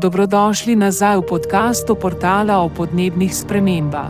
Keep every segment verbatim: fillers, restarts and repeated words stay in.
Dobrodošli nazaj v podkastu portala o podnebnih spremembah.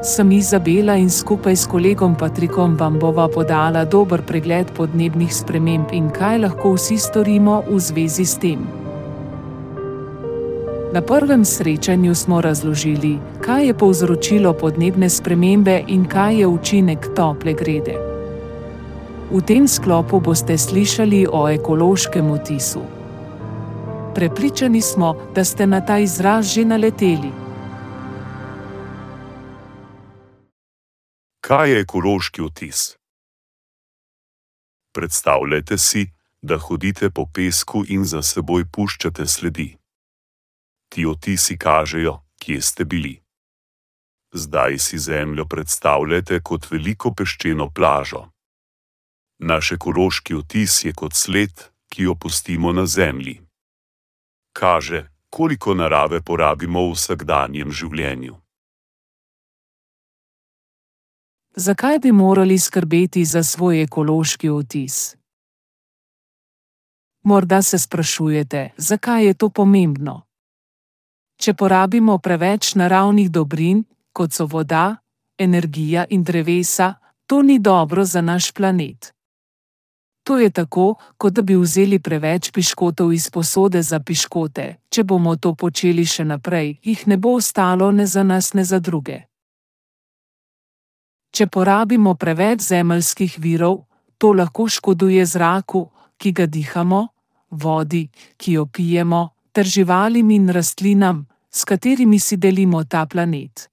Sem Izabela in skupaj s kolegom Patrikom vam bova podala dober pregled podnebnih sprememb in kaj lahko vsi storimo v zvezi s tem. Na prvem srečanju smo razložili, kaj je povzročilo podnebne spremembe in kaj je učinek tople grede. V tem sklopu boste slišali o ekološkem vtisu. Prepričani smo, da ste na ta izraz že naleteli. Kaj je ekološki vtis? Predstavljajte si, da hodite po pesku in za seboj puščate sledi. Ti odtisi kažejo, kje ste bili. Zdaj si zemljo predstavljajte kot veliko peščeno plažo. Naš ekološki vtis je kot sled, ki jo pustimo na zemlji. Kaže, koliko narave porabimo v vsakdanjem življenju. Zakaj bi morali skrbeti za svoj ekološki vtis? Morda se sprašujete, zakaj je to pomembno? Če porabimo preveč naravnih dobrin, kot so voda, energija in drevesa, to ni dobro za naš planet. To je tako, kot da bi vzeli preveč piškotov iz posode za piškote. Če bomo to počeli še naprej, jih ne bo ostalo ne za nas, ne za druge. Če porabimo preveč zemeljskih virov, to lahko škoduje zraku, ki ga dihamo, vodi, ki jo pijemo, ter živalim in rastlinam, s katerimi si delimo ta planet.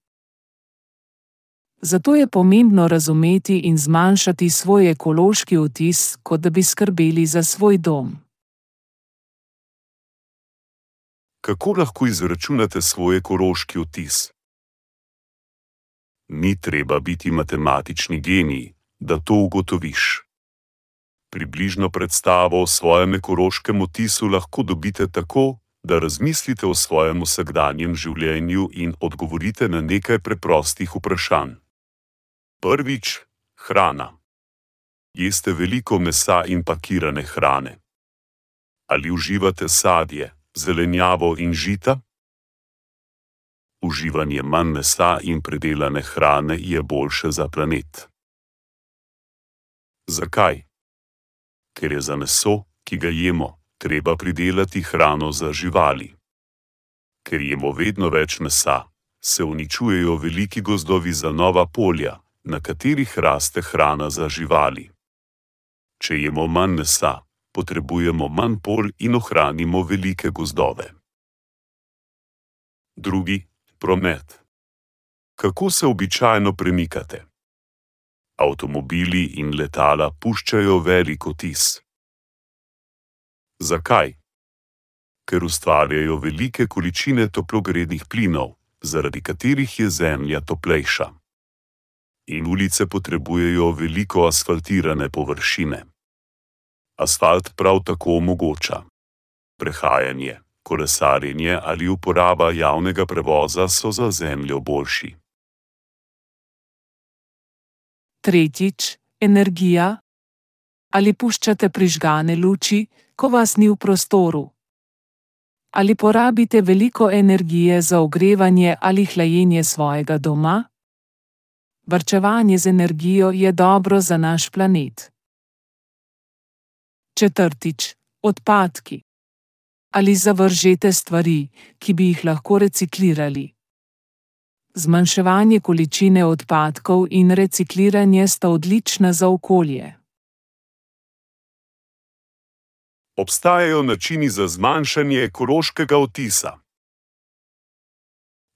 Zato je pomembno razumeti in zmanjšati svoj ekološki vtis, kot da bi skrbeli za svoj dom. Kako lahko izračunate svoj ekološki vtis? Ni treba biti matematični genij, da to ugotoviš. Približno predstavo o svojem ekološkem vtisu lahko dobite tako, da razmislite o svojem vsakdanjem življenju in odgovorite na nekaj preprostih vprašanj. Prvič, hrana. Jeste veliko mesa in pakirane hrane? Ali uživate sadje, zelenjavo in žita? Uživanje manj mesa in predelane hrane je boljše za planet. Zakaj? Ker je za meso, ki ga jemo, treba pridelati hrano za živali. Ker jemo vedno več mesa, se uničujejo veliki gozdovi za nova polja, na katerih raste hrana za živali. Če jemo manj mesa, potrebujemo manj polj in ohranimo velike gozdove. Drugi, promet. Kako se običajno premikate? Avtomobili in letala puščajo velik odtis. Zakaj? Ker ustvarjajo velike količine toplogrednih plinov, zaradi katerih je zemlja toplejša. In ulice potrebujejo veliko asfaltirane površine. Asfalt prav tako omogoča prehajanje, kolesarjenje ali uporaba javnega prevoza so za zemljo boljši. Tretjič, energija. Ali puščate prižgane luči, ko vas ni v prostoru? Ali porabite veliko energije za ogrevanje ali hlajenje svojega doma? Varčevanje z energijo je dobro za naš planet. Četrtič, odpadki. Ali zavržete stvari, ki bi jih lahko reciklirali? Zmanjševanje količine odpadkov in recikliranje sta odlična za okolje. Obstajajo načini za zmanjšanje ekološkega odtisa.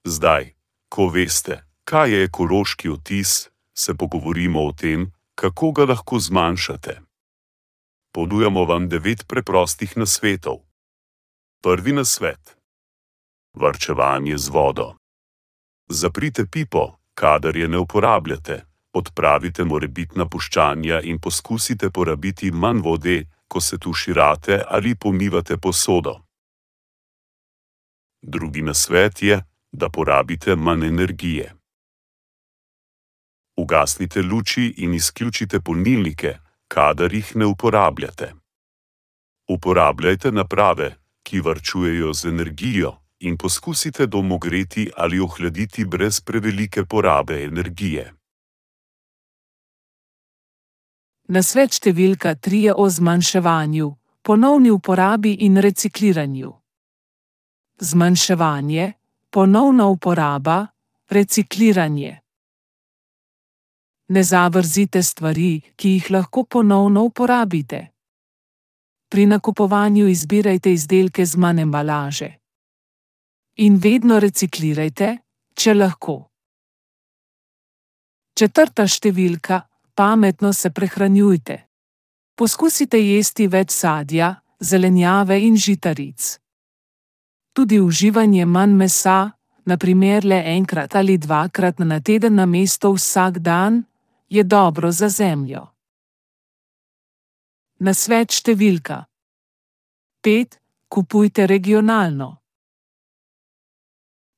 Zdaj, ko veste, kaj je ekološki odtis, se pogovorimo o tem, kako ga lahko zmanjšate. Ponujamo vam devet preprostih nasvetov. Prvi nasvet. Varčevanje z vodo. Zaprite pipo, kadar je ne uporabljate, odpravite morebitna puščanja in poskusite porabiti manj vode, ko se tuširate ali pomivate posodo. Drugi nasvet je, da porabite manj energije. Ugasnite luči in izključite polnilnike, kadar jih ne uporabljate. Uporabljajte naprave, ki varčujejo z energijo, in poskusite dom ogreti ali ohladiti brez prevelike porabe energije. Nasvet številka tri je o zmanjševanju, ponovni uporabi in recikliranju. Zmanjševanje, ponovna uporaba, recikliranje. Ne zavrzite stvari, ki jih lahko ponovno uporabite. Pri nakupovanju izbirajte izdelke z manj embalaže. In vedno reciklirajte, če lahko. Četrta številka, pametno se prehranjujte. Poskusite jesti več sadja, zelenjave in žitaric. Tudi uživanje manj mesa, na primer le enkrat ali dvakrat na teden namesto vsak dan, je dobro za zemljo. Nasvet številka pet. Kupujte regionalno.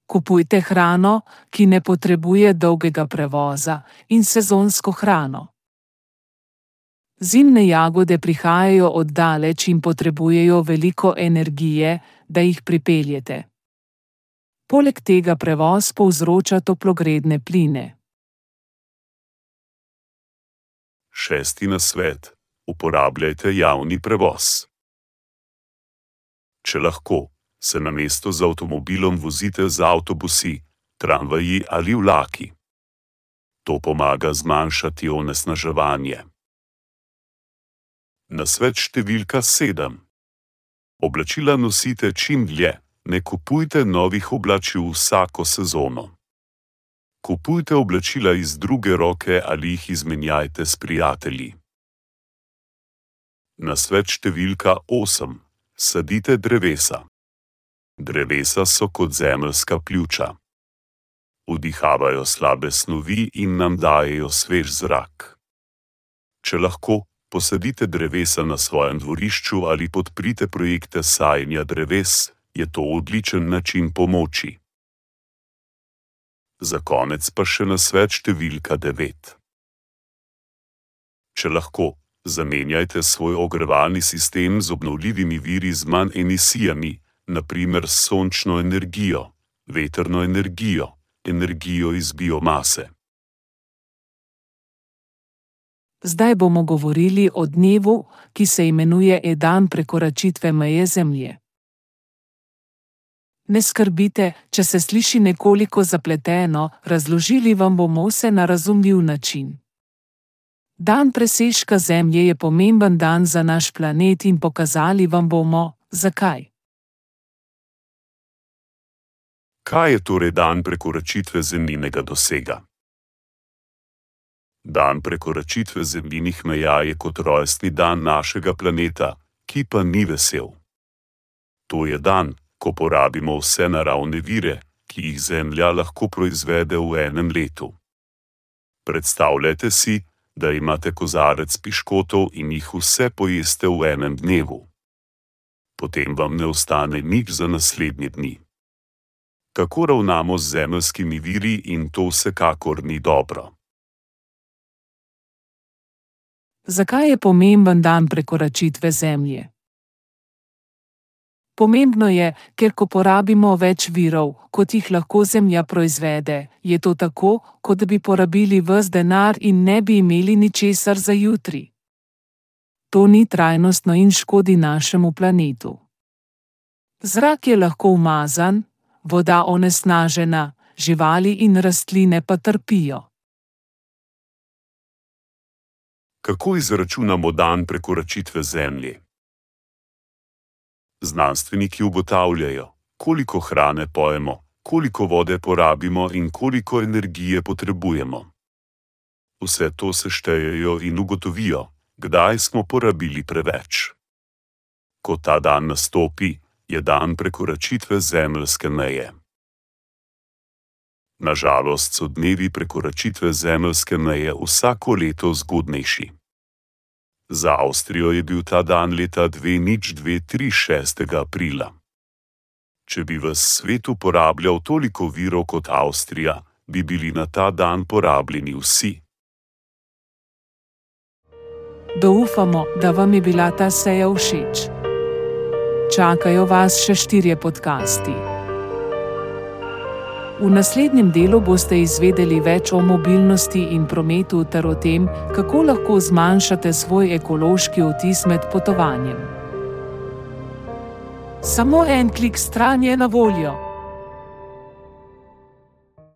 Kupujte hrano, ki ne potrebuje dolgega prevoza, in sezonsko hrano. Zimne jagode prihajajo od daleč in potrebujejo veliko energije, da jih pripeljete. Poleg tega prevoz povzroča toplogredne pline. Šesti nasvet. Uporabljajte javni prevoz. Če lahko, se namesto z avtomobilom vozite z avtobusi, tramvaji ali vlaki. To pomaga zmanjšati onesnaževanje. Nasvet številka sedem. Oblačila nosite čim dlje, ne kupujte novih oblačil vsako sezono. Kupujte oblačila iz druge roke ali jih izmenjajte s prijatelji. Nasvet številka osem. Sadite drevesa. Drevesa so kot zemeljska pljuča. Vdihavajo slabe snovi in nam dajejo svež zrak. Če lahko, posadite drevesa na svojem dvorišču ali podprite projekte sajenja dreves, je to odličen način pomoči. Za konec pa še nasvet številka devet. Če lahko, zamenjajte svoj ogrevalni sistem z obnovljivimi viri z manj emisijami, na primer s sončno energijo, vetrno energijo, energijo iz biomase. Zdaj bomo govorili o dnevu, ki se imenuje dan prekoračitve meje Zemlje. Ne skrbite, če se sliši nekoliko zapleteno, razložili vam bomo vse na razumljiv način. Dan presežka Zemlje je pomemben dan za naš planet in pokazali vam bomo, zakaj. Kaj je torej dan prekoračitve zemljinega dosega? Dan prekoračitve zemljinih meja je kot rojstni dan našega planeta, ki pa ni vesel. To je dan, ko porabimo vse naravne vire, ki jih Zemlja lahko proizvede v enem letu. Predstavljajte si, da imate kozarec piškotov in jih vse pojeste v enem dnevu. Potem vam ne ostane nič za naslednje dni. Tako ravnamo z zemeljskimi viri in to vsekakor ni dobro. Zakaj je pomemben dan prekoračitve Zemlje? Pomembno je, ker ko porabimo več virov, kot jih lahko Zemlja proizvede, je to tako, kot bi porabili ves denar in ne bi imeli ničesar za jutri. To ni trajnostno in škodi našemu planetu. Zrak je lahko umazan, voda onesnažena, živali in rastline pa trpijo. Kako izračunamo dan prekoračitve Zemlje? Znanstveniki ugotavljajo, koliko hrane pojemo, koliko vode porabimo in koliko energije potrebujemo. Vse to seštejejo in ugotovijo, kdaj smo porabili preveč. Ko ta dan nastopi, je dan prekoračitve zemeljske meje. Na žalost so dnevi prekoračitve zemeljske meje vsako leto zgodnejši. Za Avstrijo je bil ta dan leta dve nič dve tri šestega aprila. Če bi ves svet uporabljal toliko virov kot Avstrija, bi bili na ta dan porabljeni vsi. Doupamo, da vam je bila ta seja všeč. Čakajo vas še štirje podcasti. V naslednjem delu boste izvedeli več o mobilnosti in prometu ter o tem, kako lahko zmanjšate svoj ekološki odtis med potovanjem. Samo en klik stran je na voljo.